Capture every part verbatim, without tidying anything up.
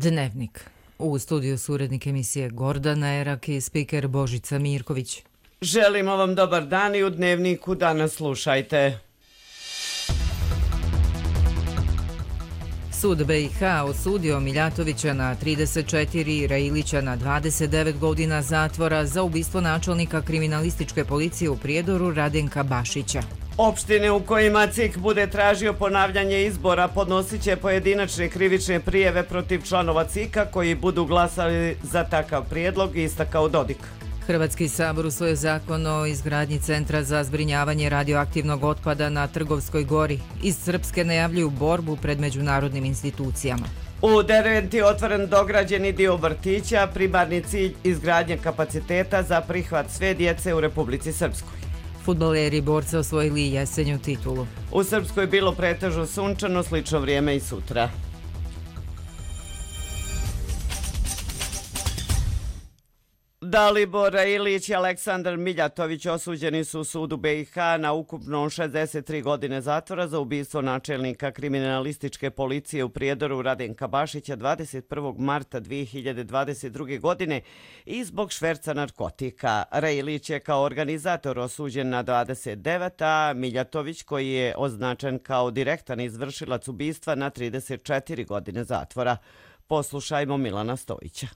Dnevnik. U studiju su urednik emisije Gordana Erak i spiker Božica Mirković. Želimo vam dobar dan i u Dnevniku danas slušajte. Sud B i H osudio Miljatovića na trideset četiri i Railića na dvadeset devet godina zatvora za ubistvo načelnika kriminalističke policije u Prijedoru Radenka Bašića. Opštine u kojima C I K bude tražio ponavljanje izbora podnosit će pojedinačne krivične prijeve protiv članova C I K-a koji budu glasali za takav prijedlog, istakao Dodik. Hrvatski sabor usvojio zakon o izgradnji centra za zbrinjavanje radioaktivnog otpada na Trgovskoj gori. Iz Srpske najavljuju borbu pred međunarodnim institucijama. U Derventi je otvoren dograđeni dio vrtića, primarni cilj izgradnje kapaciteta za prihvat sve djece u Republici Srpskoj. Fudbaleri borca osvojili jesenju titulu. U Srpskoj je bilo pretežno sunčano, slično vrijeme i sutra. Dalibor Railić i Aleksandar Miljatović osuđeni su u sudu B i H na ukupno šezdeset tri godine zatvora za ubistvo načelnika kriminalističke policije u Prijedoru Radenka Bašića dvadeset prvog marta dvije hiljade dvadeset druge. godine i zbog šverca narkotika. Railić je kao organizator osuđen na dvadeset devet, a Miljatović, koji je označen kao direktan izvršilac ubistva, na trideset četiri godine zatvora. Poslušajmo Milana Stojića.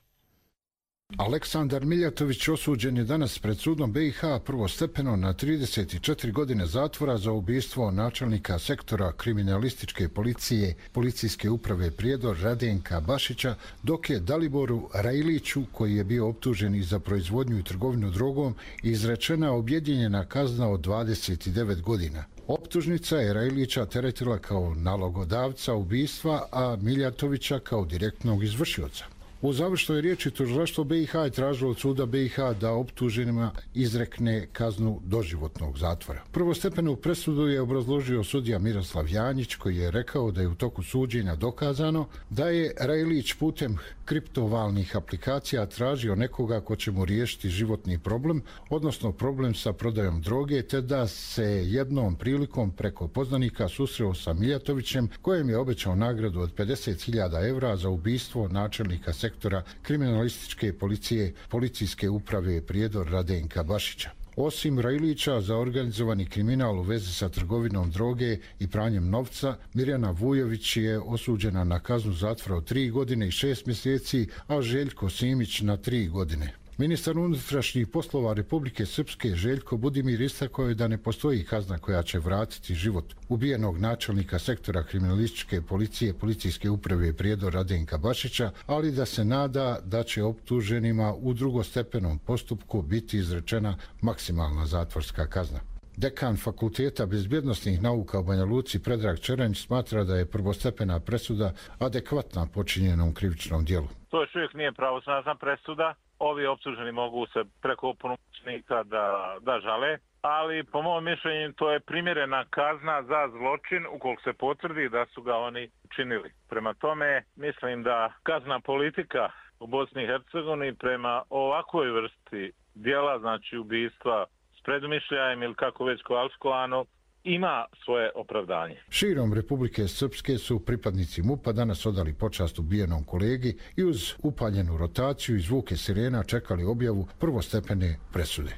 Aleksandar Miljatović osuđen je danas pred sudom B i H prvostepeno na trideset četiri godine zatvora za ubistvo načelnika sektora kriminalističke policije Policijske uprave Prijedor Radenka Bašića, dok je Daliboru Railiću, koji je bio optužen i za proizvodnju i trgovinu drogom, izrečena objedinjena kazna od dvadeset devet godina. Optužnica je Railića teretila kao nalogodavca ubistva, a Miljatovića kao direktnog izvršioca. U završnoj riječi tužilaštvo B i H je tražilo od suda B i H da optuženima izrekne kaznu doživotnog zatvora. Prvostepenu presudu je obrazložio sudija Miroslav Janjić, koji je rekao da je u toku suđenja dokazano da je Railić putem kriptovalnih aplikacija tražio nekoga ko će mu riješiti životni problem, odnosno problem sa prodajom droge, te da se jednom prilikom preko poznanika susreo sa Miljatovićem, kojem je obećao nagradu od pedeset hiljada evra za ubistvo načelnika sektora kriminalističke policije Policijske uprave Prijedor Radenka Bašića. Osim Railića, za organizovani kriminal u vezi sa trgovinom droge i pranjem novca, Mirjana Vujović je osuđena na kaznu zatvora od tri godine i šest mjeseci, a Željko Simić na tri godine. Ministar unutrašnjih poslova Republike Srpske Željko Budimir istakao je da ne postoji kazna koja će vratiti život ubijenog načelnika sektora kriminalističke policije Policijske uprave Prijedor Radenka Bašića, ali da se nada da će optuženima u drugostepenom postupku biti izrečena maksimalna zatvorska kazna. Dekan Fakulteta bezbjednosnih nauka u Banja Luci Predrag Čeranj smatra da je prvostepena presuda adekvatna počinjenom krivičnom djelu. To još uvijek nije pravosnažna presuda. Ovi optuženi mogu se preko opunomoćnika da, da žale, ali po mom mišljenju to je primjerena kazna za zločin ukoliko se potvrdi da su ga oni činili. Prema tome mislim da kazna politika u Bosni i Hercegovini prema ovakvoj vrsti djela, znači ubistva s predumišljajem ili kako već kvalifikovano, ima svoje opravdanje. Širom Republike Srpske su pripadnici MUP-a danas odali počast ubijenom kolegi i uz upaljenu rotaciju i zvuke sirena čekali objavu prvostepene presude.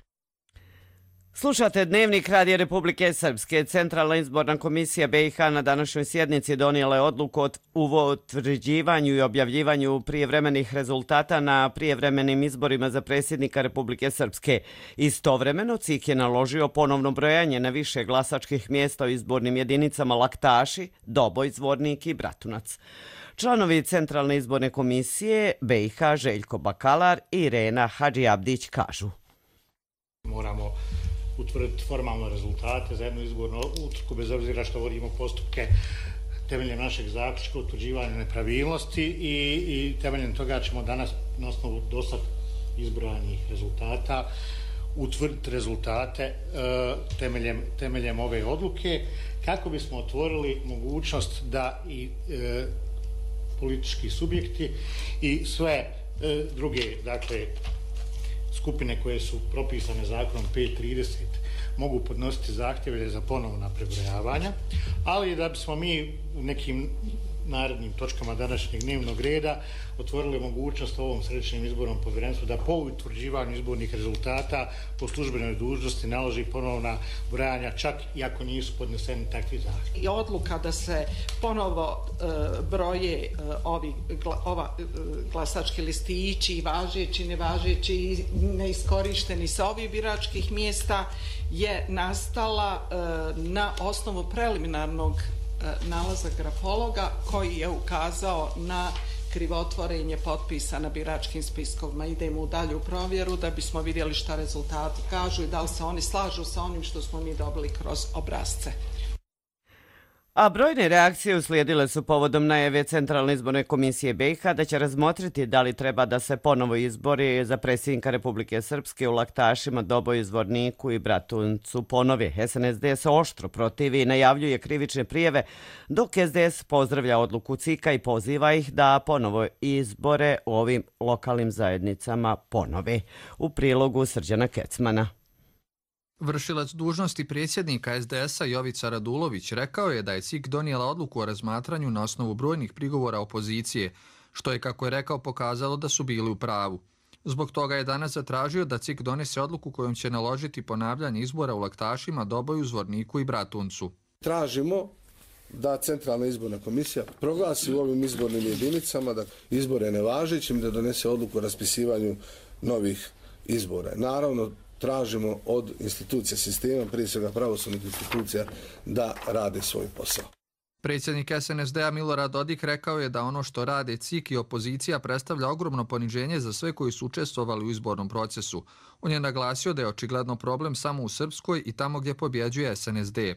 Slušate Dnevnik Radija Republike Srpske. Centralna izborna komisija B i H na današnjoj sjednici donijela je odluku o utvrđivanju i objavljivanju prijevremenih rezultata na prijevremenim izborima za predsjednika Republike Srpske. Istovremeno C I K je naložio ponovno brojanje na više glasačkih mjesta u izbornim jedinicama Laktaši, Doboj, Zvornik i Bratunac. Članovi Centralne izborne komisije B i H Željko Bakalar i Irena Hadžiabdić kažu: Moramo utvrditi formalno rezultate za jednu izbornu utrku, bez obzira što vodimo postupke temeljem našeg zaključka utvrđivanja nepravilnosti i, i temeljem toga ćemo danas na osnovu dosad izbrojanih rezultata utvrditi rezultate e, temeljem, temeljem ove odluke, kako bismo otvorili mogućnost da i e, politički subjekti i sve e, druge, dakle, skupine koje su propisane zakonom pet trideset mogu podnositi zahtjeve za ponovna prebrojavanja, ali da bismo mi u nekim narednim točkama današnjeg dnevnog reda otvorili mogućnost ovom središnjem izbornom povjerenstvu da po utvrđivanju izbornih rezultata po službenoj dužnosti naloži ponovna brojanja, čak i ako nisu podneseni takvi zahtjevi. I odluka da se ponovo e, broje e, ovi gla, ova, e, glasački listići, važeći, nevažeći i neiskorišteni sa ovih biračkih mjesta je nastala e, na osnovu preliminarnog e, nalaza grafologa koji je ukazao na krivotvorenje potpisa na biračkim spiskovima. Idemo u dalju provjeru da bismo vidjeli šta rezultati kažu i da li se oni slažu sa onim što smo mi dobili kroz obrasce. A brojne reakcije uslijedile su povodom najave Centralne izborne komisije B i H da će razmotriti da li treba da se ponovo izbori za predsjednika Republike Srpske u Laktašima, Doboju, Zvorniku i Bratuncu ponovi. S N S D se oštro protivi i najavljuje krivične prijeve, dok S D S pozdravlja odluku C I K-a i poziva ih da ponovo izbore u ovim lokalnim zajednicama ponovi. U prilogu Srđana Kecmana. Vršilac dužnosti predsjednika S D S-a Jovica Radulović rekao je da je C I K donijela odluku o razmatranju na osnovu brojnih prigovora opozicije, što je, kako je rekao, pokazalo da su bili u pravu. Zbog toga je danas zatražio da C I K donese odluku kojom će naložiti ponavljanje izbora u Laktašima, Doboju, Zvorniku i Bratuncu. Tražimo da Centralna izborna komisija proglasi u ovim izbornim jedinicama da izbore nevažećim, da donese odluku o raspisivanju novih izbora. Naravno, tražimo od institucija sistema, prije svega pravosudnih institucija, da rade svoj posao. Predsjednik S N S D-a Milorad Dodik rekao je da ono što rade C I K i opozicija predstavlja ogromno poniženje za sve koji su učestvovali u izbornom procesu. On je naglasio da je očigledno problem samo u Srpskoj i tamo gdje pobjeđuje S N S D.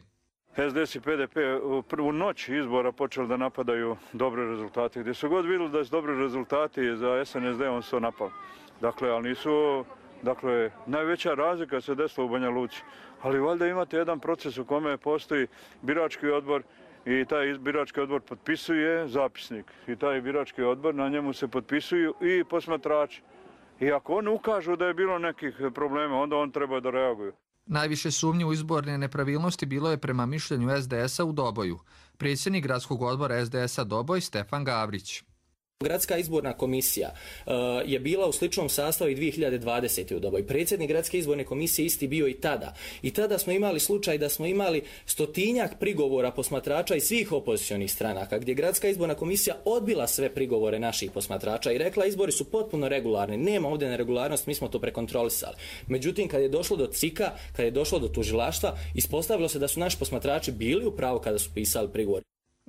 S D S i P D P u prvu noć izbora počeli da napadaju dobre rezultate. Gdje su god vidjeli da su dobri rezultati za S N S D, on su to napali. Dakle, ali nisu... Dakle, najveća razlika se desila u Banja Luci, ali valjda imate jedan proces u kome postoji birački odbor i taj birački odbor potpisuje zapisnik i taj birački odbor, na njemu se potpisuju i posmatrači. I ako oni ukažu da je bilo nekih problema, onda on treba da reaguju. Najviše sumnje u izborne nepravilnosti bilo je prema mišljenju S D S-a u Doboju. Predsjednik gradskog odbora S D S-a Doboj Stefan Gavrić. Gradska izborna komisija uh, je bila u sličnom sastavu i dvije hiljade dvadesete. u Doboj. Predsjednik Gradske izborne komisije isti bio i tada. I tada smo imali slučaj da smo imali stotinjak prigovora posmatrača iz svih opozicionih stranaka, gdje Gradska izborna komisija odbila sve prigovore naših posmatrača i rekla izbori su potpuno regularni, nema ovdje neregularnost, mi smo to prekontrolisali. Međutim, kad je došlo do C I K-a, kad je došlo do tužilaštva, ispostavilo se da su naši posmatrači bili u pravu kada su pisali prigovor.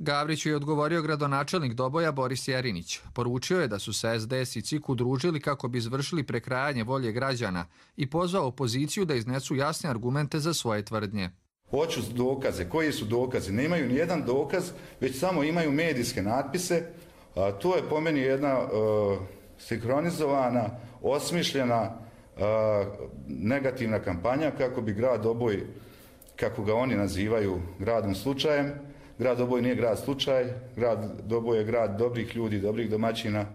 Gavriću je odgovorio gradonačelnik Doboja Boris Jerinić. Poručio je da su se S D S i C I K udružili kako bi izvršili prekrajanje volje građana i pozvao opoziciju da iznesu jasne argumente za svoje tvrdnje. Hoću dokaze. Koji su dokazi? Nemaju ni jedan dokaz, već samo imaju medijske natpise. A, to je po meni jedna uh, sinkronizovana, osmišljena, uh, negativna kampanja kako bi grad Doboj, kako ga oni nazivaju, gradom slučajem. Grad Doboj nije grad slučaj, grad Doboj je grad dobrih ljudi, dobrih domaćina.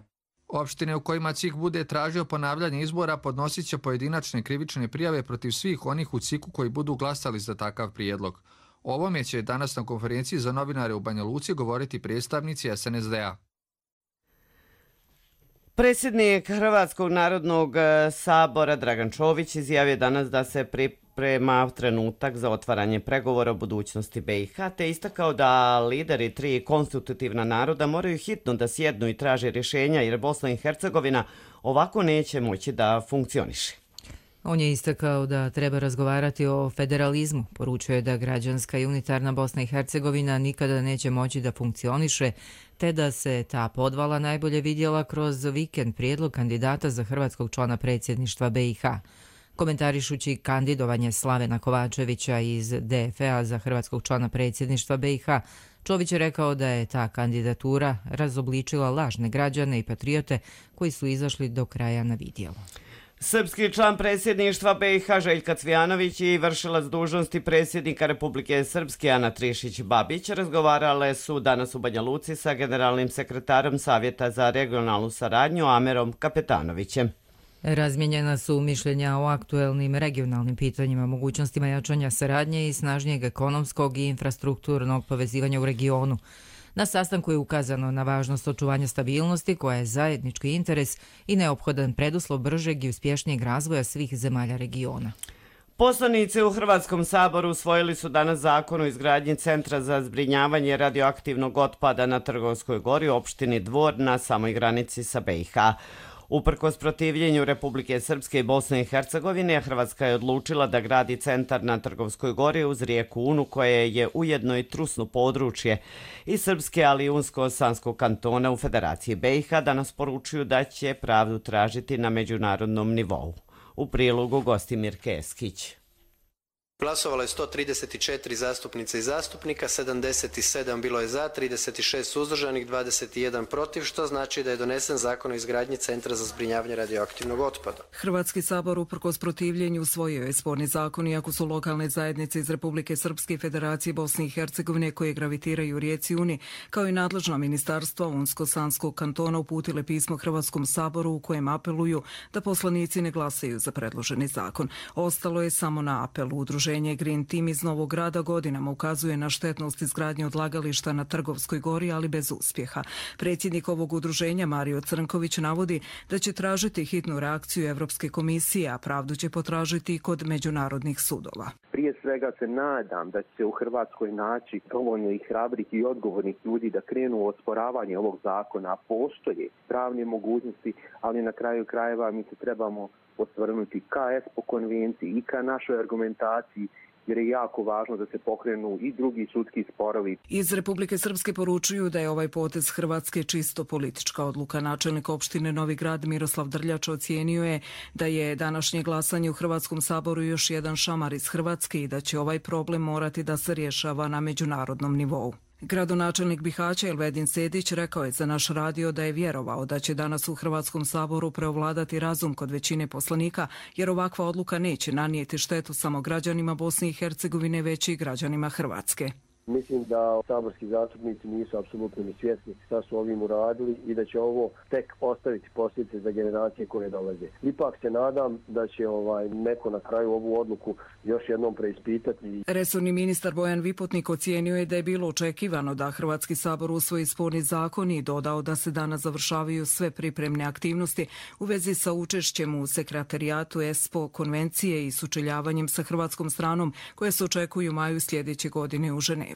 Opštine u kojima C I K bude tražio ponavljanje izbora podnosit će pojedinačne krivične prijave protiv svih onih u C I K-u koji budu glasali za takav prijedlog. O ovome će danas na konferenciji za novinare u Banja Luci govoriti predstavnici S N S D-a. Predsjednik Hrvatskog narodnog sabora Dragan Čović izjavio danas da se priprema trenutak za otvaranje pregovora o budućnosti B i H, te istakao da lideri tri konstitutivna naroda moraju hitno da sjednu i traže rješenja jer Bosna i Hercegovina ovako neće moći da funkcioniše. On je istakao da treba razgovarati o federalizmu. Poručuje da građanska i unitarna Bosna i Hercegovina nikada neće moći da funkcioniše, te da se ta podvala najbolje vidjela kroz vikend prijedlog kandidata za hrvatskog člana predsjedništva B i H. Komentarišući kandidovanje Slavena Kovačevića iz D F A za hrvatskog člana predsjedništva B i H, Čović je rekao da je ta kandidatura razobličila lažne građane i patriote koji su izašli do kraja na vidjelo. Srpski član predsjedništva B i H Željka Cvijanović i vršilac dužnosti predsjednika Republike Srpske Ana Trišić-Babić razgovarale su danas u Banja Luci sa generalnim sekretarom Savjeta za regionalnu saradnju Amerom Kapetanovićem. Razmijenjena su mišljenja o aktuelnim regionalnim pitanjima, mogućnostima jačanja saradnje i snažnijeg ekonomskog i infrastrukturnog povezivanja u regionu. Na sastanku je ukazano na važnost očuvanja stabilnosti koja je zajednički interes i neophodan preduslov bržeg i uspješnijeg razvoja svih zemalja regiona. Poslanici u Hrvatskom saboru usvojili su danas zakon o izgradnji Centra za zbrinjavanje radioaktivnog otpada na Trgovskoj gori u opštini Dvor na samoj granici sa B i H. Uprkos protivljenju Republike Srpske i Bosne i Hercegovine, Hrvatska je odlučila da gradi centar na Trgovskoj gori uz rijeku Unu, koje je ujedno i trusno područje i Srpske, ali i Unsko-Sanskog kantona u Federaciji B i H, danas poručuju da će pravdu tražiti na međunarodnom nivou. U prilogu Gostimir Keskić. Glasovalo je sto trideset četiri zastupnice i zastupnika, sedamdeset sedam bilo je za, trideset šest suzdržanih, dvadeset jedan protiv, što znači da je donesen zakon o izgradnji Centra za zbrinjavanje radioaktivnog otpada. Hrvatski sabor uprkos protivljenju usvojio je sporni zakon, iako su lokalne zajednice iz Republike Srpske i Federacije Bosne i Hercegovine koje gravitiraju rijeci Uni, kao i nadležna ministarstva Unsko-Sanskog kantona uputile pismo Hrvatskom saboru u kojem apeluju da poslanici ne glasaju za predloženi zakon. Ostalo je samo na apelu. Udruženje Green Team iz Novog Grada godinama ukazuje na štetnost izgradnje odlagališta na Trgovskoj gori, ali bez uspjeha. Predsjednik ovog udruženja Mario Crnković navodi da će tražiti hitnu reakciju Evropske komisije, a pravdu će potražiti i kod međunarodnih sudova. Prije svega se nadam da će se u Hrvatskoj naći dovoljno i hrabrih i odgovornih ljudi da krenu u osporavanje ovog zakona. Postoje pravne mogućnosti, ali na kraju krajeva mi se trebamo osvrnuti ka ESPO konvenciji i ka našoj argumentaciji, jer je jako važno da se pokrenu i drugi sudski sporovi. Iz Republike Srpske poručuju da je ovaj potez Hrvatske čisto politička odluka. Načelnik opštine Novi Grad Miroslav Drljač ocijenio je da je današnje glasanje u Hrvatskom saboru još jedan šamar iz Hrvatske i da će ovaj problem morati da se rješava na međunarodnom nivou. Gradonačelnik Bihaća Elvedin Sedić rekao je za naš radio da je vjerovao da će danas u Hrvatskom saboru preovladati razum kod većine poslanika, jer ovakva odluka neće nanijeti štetu samo građanima Bosne i Hercegovine, već i građanima Hrvatske. Mislim da saborski zastupnici nisu apsolutno ni svjesni šta su ovim uradili i da će ovo tek ostaviti posljedice za generacije koje dolaze. Ipak se nadam da će ovaj neko na kraju ovu odluku još jednom preispitati. Resorni ministar Bojan Vipotnik ocijenio je da je bilo očekivano da Hrvatski sabor usvoji sporni zakon i dodao da se danas završavaju sve pripremne aktivnosti u vezi sa učešćem u sekretarijatu ESPO konvencije i sučeljavanjem sa hrvatskom stranom koje se očekuju u maju sljedeće godine u Ženevi.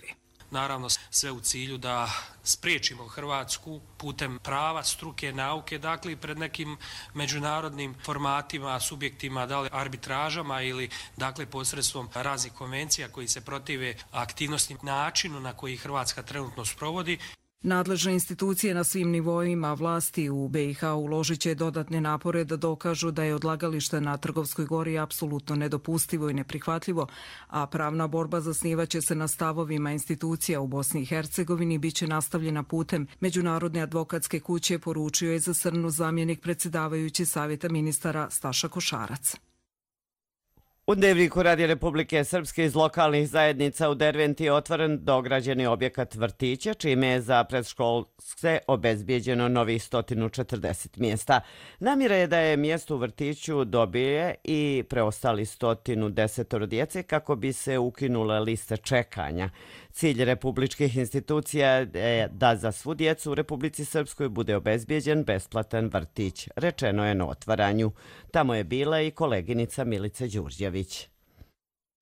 Naravno sve u cilju da spriječimo Hrvatsku putem prava, struke, nauke, dakle pred nekim međunarodnim formatima, subjektima, da li arbitražama ili dakle posredstvom raznih konvencija koji se protive aktivnosti načinu na koji Hrvatska trenutno sprovodi. Nadležne institucije na svim nivoima vlasti u B i H uložit će dodatne napore da dokažu da je odlagalište na Trgovskoj gori apsolutno nedopustivo i neprihvatljivo, a pravna borba zasnivaće se na stavovima institucija u Bosni i Hercegovini i bit će nastavljena putem Međunarodne advokatske kuće, poručio je za Srnu zamjenik predsjedavajući Savjeta ministara Staša Košarac. U Dnevniku Radija Republike Srpske iz lokalnih zajednica u Derventi je otvoren dograđeni objekat vrtića, čime je za predškolske obezbijeđeno novih sto četrdeset mjesta. Namjera je da je mjesto u vrtiću dobije i preostali sto deset djece kako bi se ukinule liste čekanja. Cilj republičkih institucija je da za svu djecu u Republici Srpskoj bude obezbijeđen besplatan vrtić, rečeno je na otvaranju. Tamo je bila i koleginica Milica Đurđević.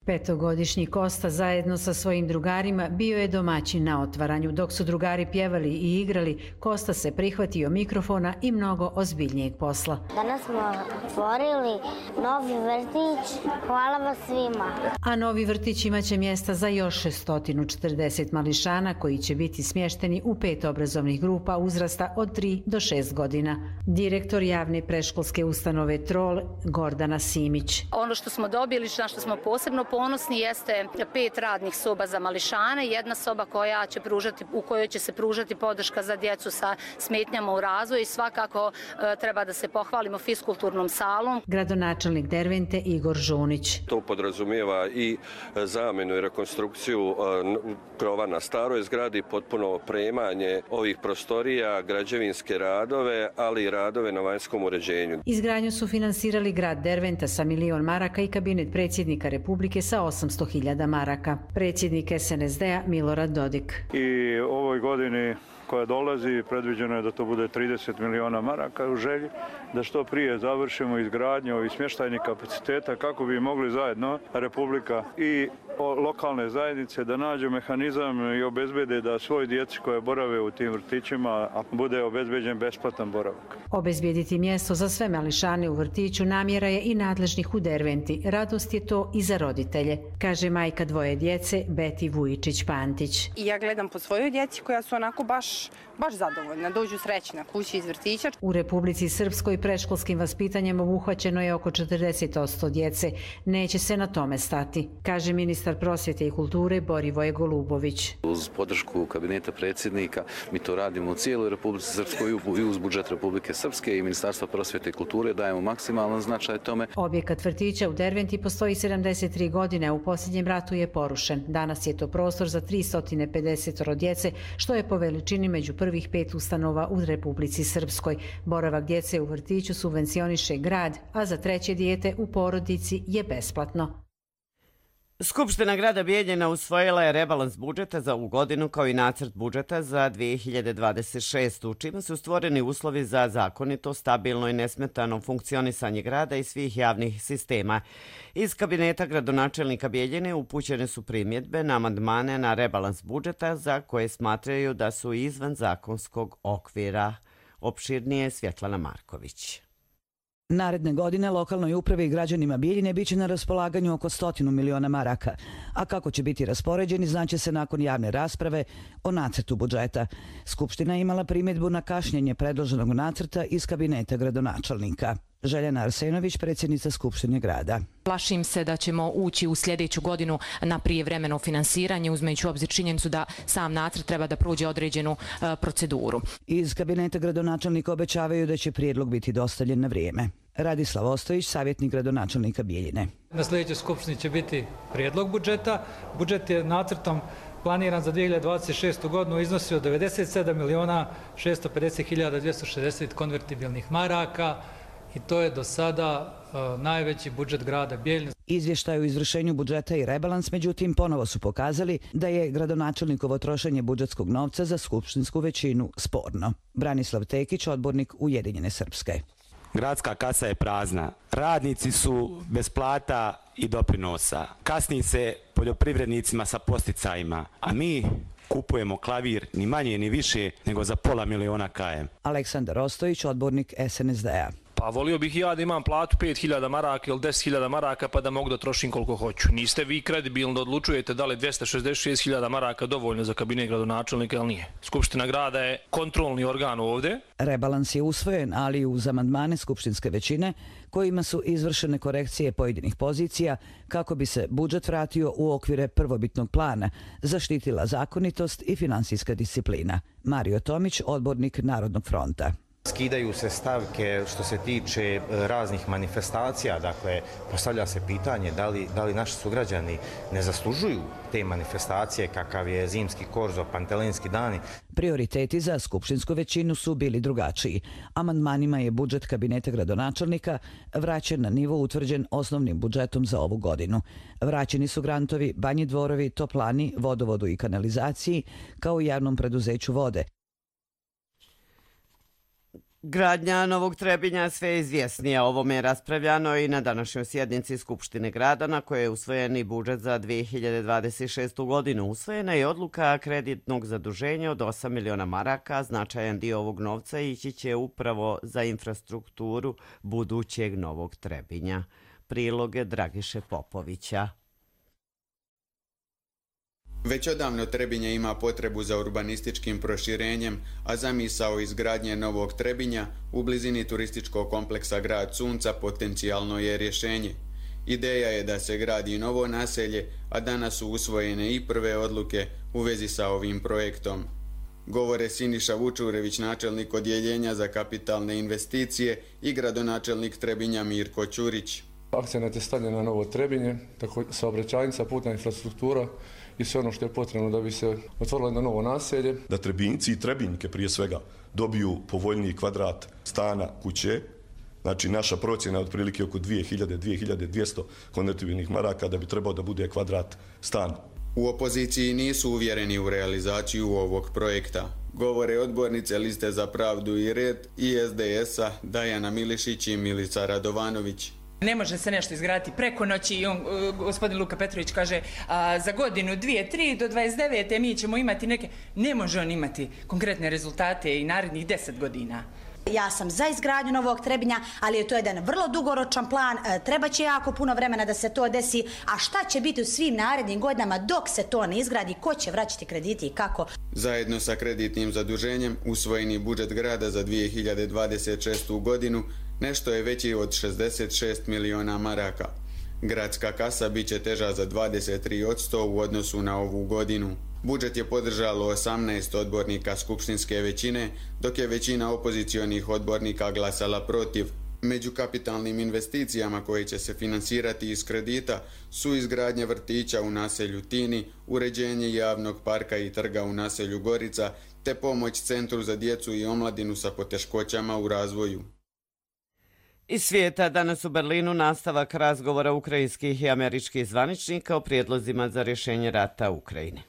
Petogodišnji Kosta zajedno sa svojim drugarima bio je domaćin na otvaranju. Dok su drugari pjevali i igrali, Kosta se prihvatio mikrofona i mnogo ozbiljnijeg posla. Danas smo otvorili novi vrtić. Hvala vas svima. A novi vrtić imaće mjesta za još sto četrdeset mališana koji će biti smješteni u pet obrazovnih grupa uzrasta od tri do šest godina. Direktor javne predškolske ustanove Trol Gordana Simić. Ono što smo dobili, na što smo posebno ponosni jeste pet radnih soba za mališane, jedna soba koja će pružati, u kojoj će se pružati podrška za djecu sa smetnjama u razvoju i svakako e, treba da se pohvalimo fiskulturnom salom. Gradonačelnik Dervente Igor Žunić. To podrazumijeva i zamjenu i rekonstrukciju krova na staroj zgradi, potpuno opremanje ovih prostorija, građevinske radove, ali i radove na vanjskom uređenju. Izgradnju su finansirali grad Derventa sa milion maraka i kabinet predsjednika Republike sa osamsto hiljada maraka. Predsjednik S N S D-a Milorad Dodik. I ovoj godini koja dolazi predviđeno je da to bude trideset miliona maraka u želji, da što prije završimo izgradnju ovih smještajnih kapaciteta kako bi mogli zajedno Republika i lokalne zajednice da nađu mehanizam i obezbede da svoj djeci koje borave u tim vrtićima bude obezbeđen besplatan boravak. Obezbijediti mjesto za sve mališane u vrtiću namjera je i nadležnih u Derventi. Radost je to i za roditelje, kaže majka dvoje djece Beti Vujičić-Pantić. I ja gledam po svojoj djeci koja su onako baš, baš zadovoljna, dođu srećna kući iz vrtića. U Republici Srpskoj predškolskim vaspitanjem obuhvaćeno je oko četrdeset posto djece. Neće se na tome stati, kaže ministar prosvjete i kulture Borivoje Golubović. Uz podršku kabineta predsjednika mi to radimo u cijeloj Republici Srpskoj i uz budžet Republike Srpske i Ministarstva prosvjete i kulture dajemo maksimalan značaj tome. Objekat vrtića u Derventi postoji sedamdeset tri godine, a u posljednjem ratu je porušen. Danas je to prostor za tristo pedeset djece, što je po veličini među prvih pet ustanova u Republici Srpskoj. Boravak djece u vrtiću subvencioniše grad, a za treće dijete u porodici je besplatno. Skupština grada Bijeljina usvojila je rebalans budžeta za ovu godinu kao i nacrt budžeta za dvije hiljade dvadeset šestu. čime su stvoreni uslovi za zakonito, stabilno i nesmetano funkcionisanje grada i svih javnih sistema. Iz kabineta gradonačelnika Bijeljine upućene su primjedbe na amandmane na rebalans budžeta za koje smatraju da su izvan zakonskog okvira. Opširnije Svjetlana Marković. Naredne godine lokalnoj upravi i građanima Bijeljine biće na raspolaganju oko stotinu miliona maraka, a kako će biti raspoređeni znaće se nakon javne rasprave o nacrtu budžeta. Skupština je imala primjedbu na kašnjenje predloženog nacrta iz kabineta gradonačelnika. Željana Arsenović, predsjednica Skupštine grada. Plašim se da ćemo ući u sljedeću godinu na prijevremeno finansiranje, uzmejući u obzir činjenicu da sam nacrt treba da prođe određenu uh, proceduru. Iz kabineta gradonačelnika obećavaju da će prijedlog biti dostavljen na vrijeme. Radislav Ostojić, savjetnik gradonačelnika Bijeljine. Na sljedećoj skupštini će biti prijedlog budžeta. Budžet je nacrtom planiran za dvije hiljade dvadeset šestu godinu iznosio devedeset sedam miliona šesto pedeset hiljada dvjesto šezdeset konvertibilnih maraka. I to je do sada uh, najveći budžet grada Bijeljine. Izvještaj o izvršenju budžeta i rebalans, međutim, ponovo su pokazali da je gradonačelnikovo trošenje budžetskog novca za skupštinsku većinu sporno. Branislav Tekić, odbornik Ujedinjene Srpske. Gradska kasa je prazna. Radnici su bez plata i doprinosa. Kasni se poljoprivrednicima sa posticajima, a mi kupujemo klavir ni manje ni više nego za pola miliona kajem. Aleksandar Ostojić, odbornik S N S D-a. Pa volio bih ja da imam platu pet hiljada maraka ili deset hiljada maraka pa da mogu da trošim koliko hoću. Niste vi kredibilni da odlučujete da li je dvjesto šezdeset šest hiljada maraka dovoljno za kabinet gradonačelnika ili nije. Skupština grada je kontrolni organ ovdje. Rebalans je usvojen, ali uz amandmane skupštinske većine kojima su izvršene korekcije pojedinih pozicija kako bi se budžet vratio u okvire prvobitnog plana, zaštitila zakonitost i finansijska disciplina. Mario Tomić, odbornik Narodnog fronta. Skidaju se stavke što se tiče raznih manifestacija, dakle postavlja se pitanje da li, da li naši sugrađani ne zaslužuju te manifestacije kakav je zimski korzo, pantelinski dani. Prioriteti za skupštinsku većinu su bili drugačiji. Amandmanima je budžet kabineta gradonačelnika vraćen na nivo utvrđen osnovnim budžetom za ovu godinu. Vraćeni su grantovi Banji Dvorovi, Toplani, vodovodu i kanalizaciji, kao i javnom preduzeću vode. Gradnja Novog Trebinja sve je izvjesnija. Ovome je raspravljano i na današnjoj sjednici Skupštine grada na kojoj je usvojen i budžet za dvije hiljade dvadeset šestu godinu. Usvojena je odluka kreditnog zaduženja od osam miliona maraka. Značajan dio ovog novca ići će upravo za infrastrukturu budućeg Novog Trebinja. Priloge Dragiše Popovića. Već odavno Trebinje ima potrebu za urbanističkim proširenjem, a zamisao izgradnje Novog Trebinja u blizini turističkog kompleksa Grad Sunca potencijalno je rješenje. Ideja je da se gradi novo naselje, a danas su usvojene i prve odluke u vezi sa ovim projektom. Govore Siniša Vučurević, načelnik odjeljenja za kapitalne investicije, i gradonačelnik Trebinja Mirko Ćurić. Akcenat je stavljen na Novo Trebinje, tako saobraćajnica, putna infrastruktura i sve ono što je potrebno da bi se otvorilo jedno novo naselje. Da Trebinjci i Trebinjke prije svega dobiju povoljniji kvadrat stana, kuće, Znači naša procjena je otprilike oko dvije hiljade do dvije hiljade dvjesto konvertibilnih maraka da bi trebao da bude kvadrat stan. U opoziciji nisu uvjereni u realizaciju ovog projekta. Govore odbornice Liste za pravdu i red i es de es-a Dajana Milišić i Milica Radovanović. Ne može se nešto izgraditi preko noći i on, gospodin Luka Petrović kaže a, za godinu, dvije, tri do dvadeset devete mi ćemo imati neke... Ne može on imati konkretne rezultate i narednih deset godina. Ja sam za izgradnju novog Trebinja, ali je to jedan vrlo dugoročan plan, treba će jako puno vremena da se to desi, a šta će biti u svim narednim godinama dok se to ne izgradi, ko će vraćati krediti i kako? Zajedno sa kreditnim zaduženjem, usvojeni budžet grada za dvije hiljade dvadeset šestu godinu nešto je veći od šezdeset šest miliona maraka. Gradska kasa bit će teža za dvadeset tri posto u odnosu na ovu godinu. Budžet je podržalo osamnaest odbornika skupštinske većine, dok je većina opozicionih odbornika glasala protiv. Među kapitalnim investicijama koje će se finansirati iz kredita su izgradnja vrtića u naselju Tini, uređenje javnog parka i trga u naselju Gorica, te pomoć Centru za djecu i omladinu sa poteškoćama u razvoju. Iz svijeta danas u Berlinu nastavak razgovora ukrajinskih i američkih zvaničnika o prijedlozima za rješenje rata u Ukrajini.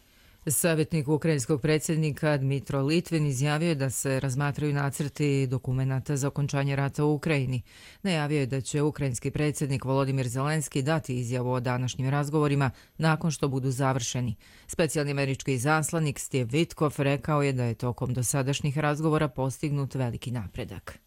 Savjetnik ukrajinskog predsjednika Dmitro Litvin izjavio je da se razmatraju nacrti dokumenata za okončanje rata u Ukrajini. Najavio je da će ukrajinski predsjednik Volodimir Zelenski dati izjavu o današnjim razgovorima nakon što budu završeni. Specijalni američki izaslanik Steve Witkoff rekao je da je tokom dosadašnjih razgovora postignut veliki napredak.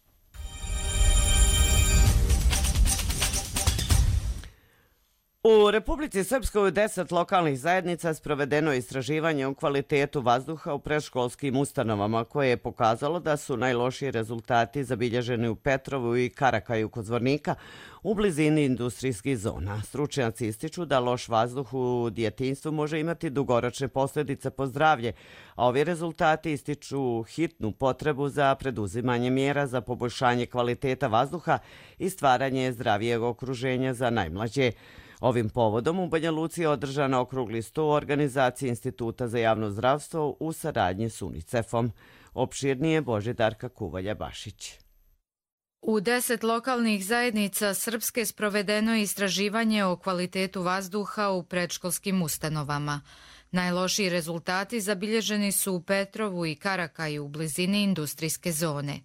U Republici Srpskoj u deset lokalnih zajednica sprovedeno je istraživanje o kvalitetu vazduha u predškolskim ustanovama koje je pokazalo da su najlošiji rezultati zabilježeni u Petrovu i Karakaju kod Zvornika u blizini industrijskih zona. Stručnjaci ističu da loš vazduh u djetinjstvu može imati dugoročne posljedice po zdravlje, a ovi rezultati ističu hitnu potrebu za preduzimanje mjera za poboljšanje kvaliteta vazduha i stvaranje zdravijeg okruženja za najmlađe. Ovim povodom u Banja Luci je održan okrugli sto u organizaciji Instituta za javno zdravstvo u saradnji s UNICEF-om. Opširnije Božidarka Kuvalja-Bašić. U deset lokalnih zajednica Srpske sprovedeno je istraživanje o kvalitetu vazduha u predškolskim ustanovama. Najlošiji rezultati zabilježeni su u Petrovu i Karakaju u blizini industrijske zone.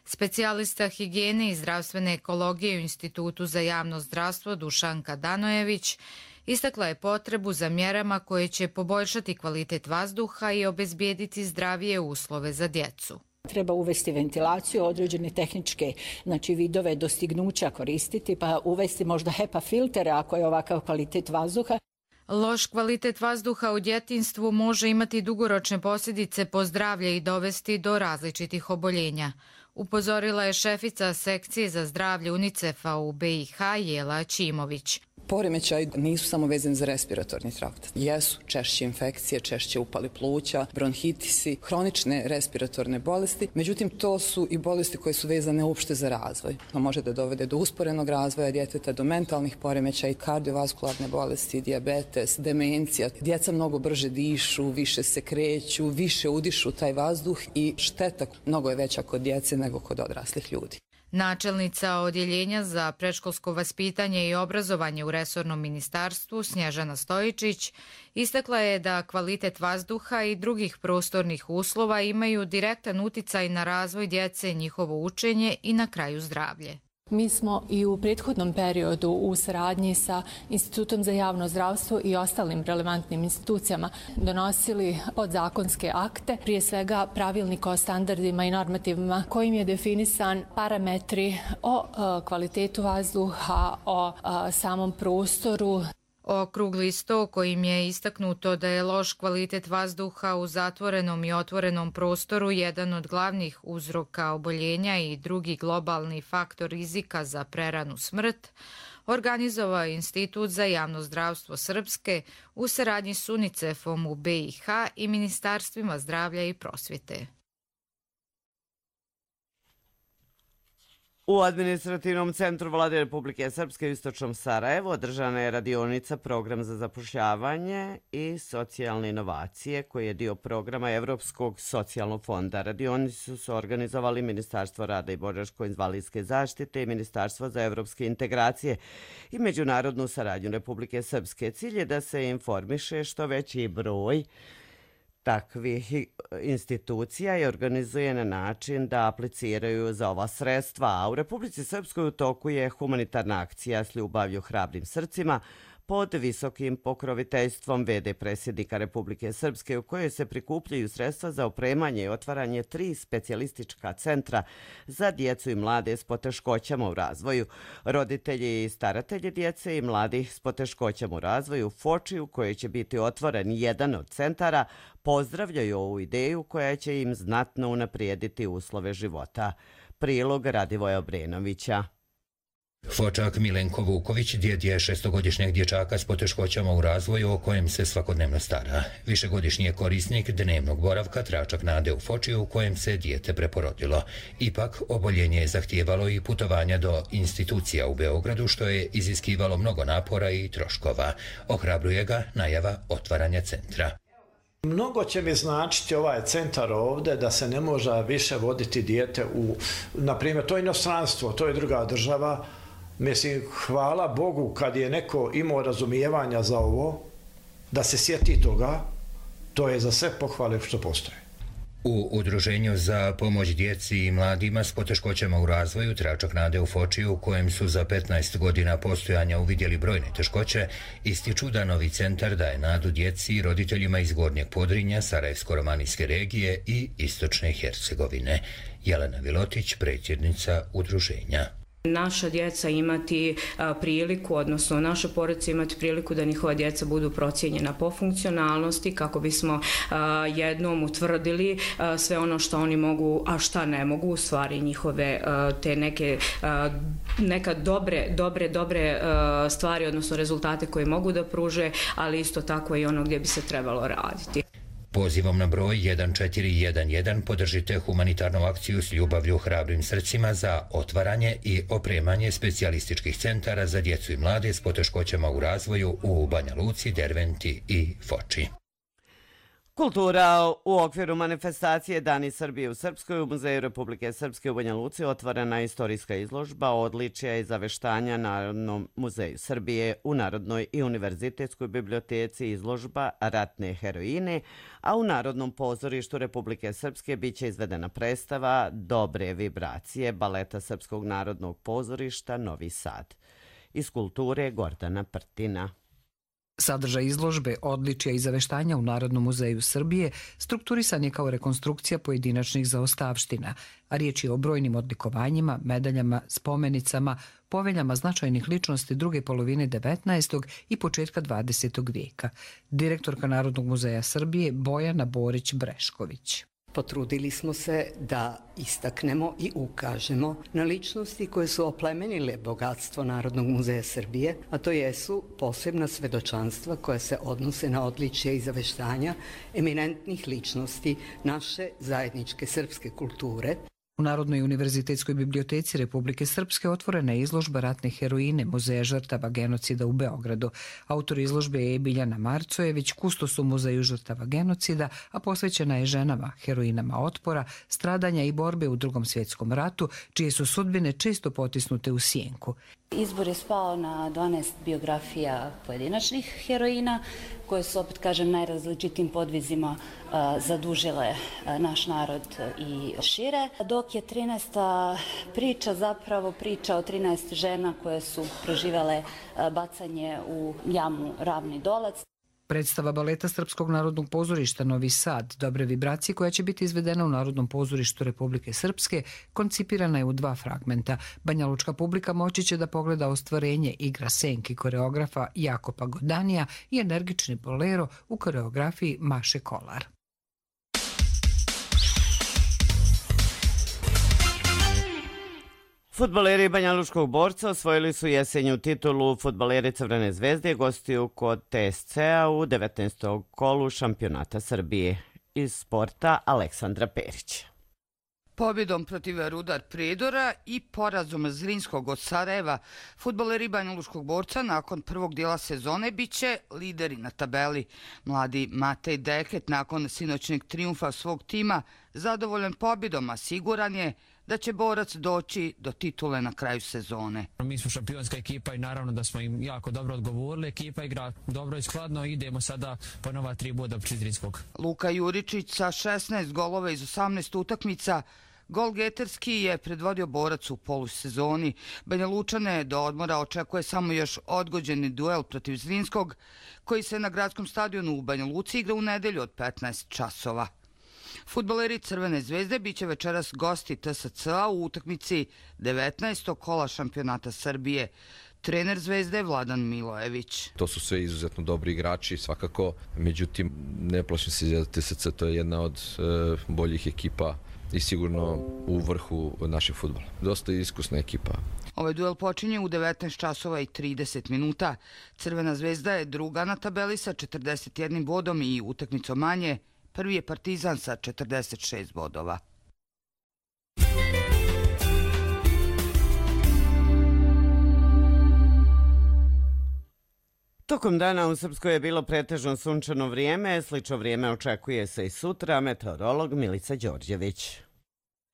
Specijalista higijene i zdravstvene ekologije u Institutu za javno zdravstvo Dušanka Danojević istakla je potrebu za mjerama koje će poboljšati kvalitet vazduha i obezbijediti zdravije uslove za djecu. Treba uvesti ventilaciju, određene tehničke znači, vidove dostignuća koristiti, pa uvesti možda HEPA filtere ako je ovakav kvalitet vazduha. Loš kvalitet vazduha u djetinjstvu može imati dugoročne posljedice po zdravlje i dovesti do različitih oboljenja. Upozorila je šefica sekcije za zdravlje UNICEF-a u be i ha Jela Ćimović. Poremećaj nisu samo vezani za respiratorni trakt. Jesu češće infekcije, češće upali pluća, bronhitisi, hronične respiratorne bolesti. Međutim, to su i bolesti koje su vezane uopšte za razvoj. To može da dovede do usporenog razvoja djeteta, do mentalnih poremećaja, kardiovaskularne bolesti, dijabetes, demencija. Djeca mnogo brže dišu, više se kreću, više udišu taj vazduh i šteta mnogo je veća kod djece nego kod odraslih ljudi. Načelnica Odjeljenja za predškolsko vaspitanje i obrazovanje u resornom ministarstvu Snježana Stojičić istakla je da kvalitet vazduha i drugih prostornih uslova imaju direktan uticaj na razvoj djece, njihovo učenje i na kraju zdravlje. Mi smo i u prethodnom periodu u saradnji sa Institutom za javno zdravstvo i ostalim relevantnim institucijama donosili podzakonske akte, prije svega pravilnik o standardima i normativima kojim je definisan parametri o kvalitetu vazduha, o samom prostoru. Okrugli sto kojim je istaknuto da je loš kvalitet vazduha u zatvorenom i otvorenom prostoru jedan od glavnih uzroka oboljenja i drugi globalni faktor rizika za preranu smrt, organizovao je Institut za javno zdravstvo Srpske u saradnji s UNICEF-om u be i ha i Ministarstvima zdravlja i prosvjete. U administrativnom centru Vlade Republike Srpske u istočnom Sarajevu održana je radionica Program za zapošljavanje i socijalne inovacije koji je dio programa Evropskog socijalnog fonda. Radionicu su organizovali Ministarstvo rada i boračko-invalidske zaštite i Ministarstvo za evropske integracije i međunarodnu saradnju Republike Srpske. Cilj je da se informiše što veći broj takvih institucija i organizuje na način da apliciraju za ova sredstva. A u Republici Srpskoj u toku je humanitarna akcija s ljubavlju hrabrim srcima pod visokim pokroviteljstvom ve de predsjednika Republike Srpske u kojoj se prikupljaju sredstva za opremanje i otvaranje tri specijalistička centra za djecu i mlade s poteškoćama u razvoju. Roditelji i staratelji djece i mladih s poteškoćama u razvoju u Foči u kojoj će biti otvoren jedan od centara pozdravljaju ovu ideju koja će im znatno unaprijediti uslove života. Prilog Radivoja Obrenovića. Fočak Milenko Vuković djed je šestogodišnjeg dječaka s poteškoćama u razvoju o kojem se svakodnevno stara. Višegodišnji je korisnik dnevnog boravka Tračak nade u Foči u kojem se dijete preporodilo. Ipak, oboljenje je zahtijevalo i putovanja do institucija u Beogradu što je iziskivalo mnogo napora i troškova. Ohrabruje ga najava otvaranja centra. Mnogo će mi značiti ovaj centar ovdje da se ne može više voditi dijete u, na primjer, to je inostranstvo, to je druga država. Mislim, hvala Bogu kad je neko imao razumijevanja za ovo, da se sjeti toga, to je za sve pohvale što postoje. U Udruženju za pomoć djeci i mladima s poteškoćama u razvoju Tračak nade u Foči u kojem su za petnaest godina postojanja uvidjeli brojne teškoće, ističu da novi centar daje nadu djeci i roditeljima iz Gornjeg Podrinja, Sarajevsko-romanijske regije i Istočne Hercegovine. Jelena Vilotić, predsjednica Udruženja. Naša djeca imati a, priliku, odnosno naše porodice imati priliku da njihova djeca budu procijenjena po funkcionalnosti kako bismo a, jednom utvrdili a, sve ono što oni mogu, a šta ne mogu, u stvari njihove a, te neke a, neka dobre, dobre, dobre a, stvari, odnosno rezultate koje mogu da pruže, ali isto tako i ono gdje bi se trebalo raditi. Pozivom na broj jedan četiri jedan jedan podržite humanitarnu akciju s ljubavlju hrabrim srcima za otvaranje i opremanje specijalističkih centara za djecu i mlade s poteškoćama u razvoju u Banja Luci, Derventi i Foči. Kultura u okviru manifestacije Dani Srbije u Srpskoj u Muzeju Republike Srpske u Banja Luci otvorena istorijska izložba odličja i zaveštanja Narodnom muzeju Srbije u Narodnoj i univerzitetskoj biblioteci izložba Ratne heroine, a u Narodnom pozorištu Republike Srpske biće izvedena predstava Dobre vibracije baleta Srpskog narodnog pozorišta Novi Sad. Iz kulture Gordana Prtina. Sadržaj izložbe odličja i zaveštanja u Narodnom muzeju Srbije strukturisan je kao rekonstrukcija pojedinačnih zaostavština, a riječ je o brojnim odlikovanjima, medaljama, spomenicama, poveljama značajnih ličnosti druge polovine devetnaestog i početka dvadesetog vijeka. Direktorka Narodnog muzeja Srbije Bojana Borić-Brešković. Potrudili smo se da istaknemo i ukažemo na ličnosti koje su oplemenile bogatstvo Narodnog muzeja Srbije, a to jesu posebna svedočanstva koja se odnose na odličja i zaveštanja eminentnih ličnosti naše zajedničke srpske kulture. U Narodnoj univerzitetskoj biblioteci Republike Srpske otvorena je izložba Ratne heroine Muzeja žrtava genocida u Beogradu. Autor izložbe je Biljana Marcojević, kustos u Muzeju žrtava genocida, a posvećena je ženama, heroinama otpora, stradanja i borbe u Drugom svjetskom ratu, čije su sudbine često potisnute u sjenku. Izbor je spao na dvanaest biografija pojedinačnih heroina, koje su, opet kažem, najrazličitim podvizima a, zadužile a, naš narod i šire. Dok je trinaesta priča zapravo priča o trinaest žena koje su proživele a, bacanje u jamu Ravni Dolac. Predstava baleta Srpskog narodnog pozorišta Novi Sad, Dobre vibracije, koja će biti izvedena u Narodnom pozorištu Republike Srpske, koncipirana je u dva fragmenta. Banjalučka publika moći će da pogleda ostvarenje igra senki koreografa Jakopa Godanija i energični bolero u koreografiji Maše Kolar. Fudbaleri Banjalučkog Borca osvojili su jesenju titulu fudbaleri Crvene zvezde i gostiju kod te es ce a u devetnaestom kolu šampionata Srbije. Iz sporta Aleksandra Perić. Pobjedom protiv Rudar Prijedora i porazom Zrinskog od Sarajeva, fudbaleri Banjalučkog Borca nakon prvog dijela sezone biće lideri na tabeli. Mladi Matej Deket nakon sinoćnjeg trijumfa svog tima zadovoljan pobjedom, a siguran je da će Borac doći do titule na kraju sezone. Mi smo šampionska ekipa i naravno da smo im jako dobro odgovorili. Ekipa igra dobro i skladno i idemo sada po nova tri boda protiv Zrinskog. Luka Juričić sa šesnaest golova iz osamnaest utakmica golgeterski je predvodio Borac u polusezoni. Banja Lučane do odmora očekuje samo još odgođeni duel protiv Zrinskog, koji se na gradskom stadionu u Banja Luci igra u nedelju od petnaest časova. Fudbaleri Crvene zvezde biće večeras gosti T S C-a u utakmici devetnaestog kola šampionata Srbije. Trener Zvezde Vladan Milojević. To su sve izuzetno dobri igrači, svakako. Međutim, ne plašim se za T S C, to je jedna od e, boljih ekipa i sigurno u vrhu našeg fudbala. Dosta iskusna ekipa. Ovaj duel počinje u devetnaest časova i trideset minuta. Crvena zvezda je druga na tabeli sa četrdeset jednim bodom i utakmicom manje. Prvi je Partizan sa četrdeset šest bodova. Tokom dana u Srpskoj je bilo pretežno sunčano vrijeme, slično vrijeme očekuje se i sutra, meteorolog Milica Đorđević.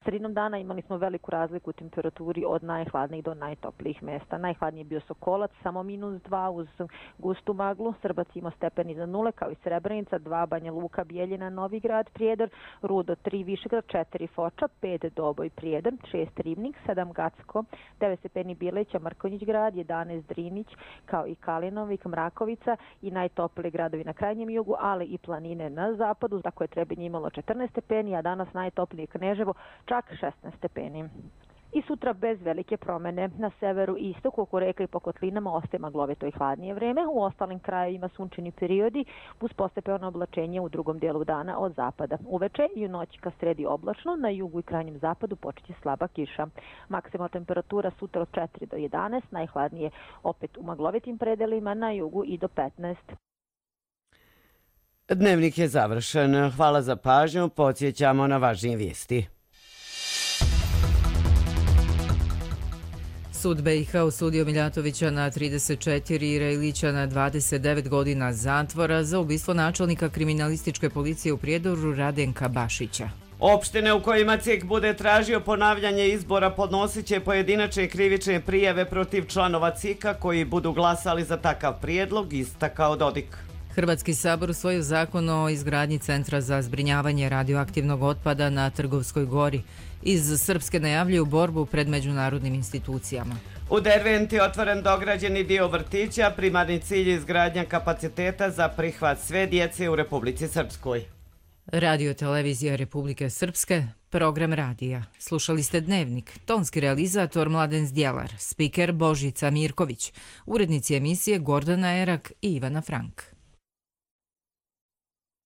Sredinom dana imali smo veliku razliku u temperaturi od najhladnijih do najtoplijih mjesta. Najhladniji je bio Sokolac, samo minus dva uz gustu maglu. Srbac imao stepen iza nule, kao i Srebrenica, dva Banja Luka, Bijeljina, Novigrad, Prijedor, Rudo, tri Višegrad, četiri Foča, pet Doboj, Prijedor, šest Ribnik, sedam Gacko, devet stepeni Bileća, Mrkonjić grad, jedanaest Drinić, kao i Kalinovik, Mrakovica i najtopliji gradovi na krajnjem jugu, ali i planine na zapadu. Tako je Trebinje imalo četrnaest stepeni, a danas najtoplije Kneževo, čak šesnaest stepeni. I sutra bez velike promene. Na severu i istoku oko reka i po kotlinama ostaje maglovito i hladnije vreme. U ostalim krajevima sunčani periodi uz postepeno oblačenje u drugom dijelu dana od zapada. Uveče i u noći ka sredi oblačno, na jugu i krajnjem zapadu počeće slaba kiša. Maksimalna temperatura sutra od četiri do jedanaest, najhladnije opet u maglovitim predelima, na jugu i do petnaest. Dnevnik je završen. Hvala za pažnju. Podsjećamo na važnije vijesti. Sud B i H osudio Miljatovića na trideset četiri i Rejlića na dvadeset devet godina zatvora za ubistvo načelnika kriminalističke policije u Prijedoru Radenka Bašića. Opštine u kojima C I K bude tražio ponavljanje izbora podnosit će pojedinačne krivične prijave protiv članova C I K-a koji budu glasali za takav prijedlog, istakao Dodik. Hrvatski sabor usvojio zakon o izgradnji centra za zbrinjavanje radioaktivnog otpada na Trgovskoj gori. Iz Srpske najavljuju borbu pred međunarodnim institucijama. U Derventi je otvoren dograđeni dio vrtića, primarni cilj je izgradnja kapaciteta za prihvat sve djece u Republici Srpskoj. Radio televizija Republike Srpske, program radija. Slušali ste Dnevnik, tonski realizator Mladen Zdjelar, spiker Božica Mirković, urednici emisije Gordana Erak i Ivana Frank.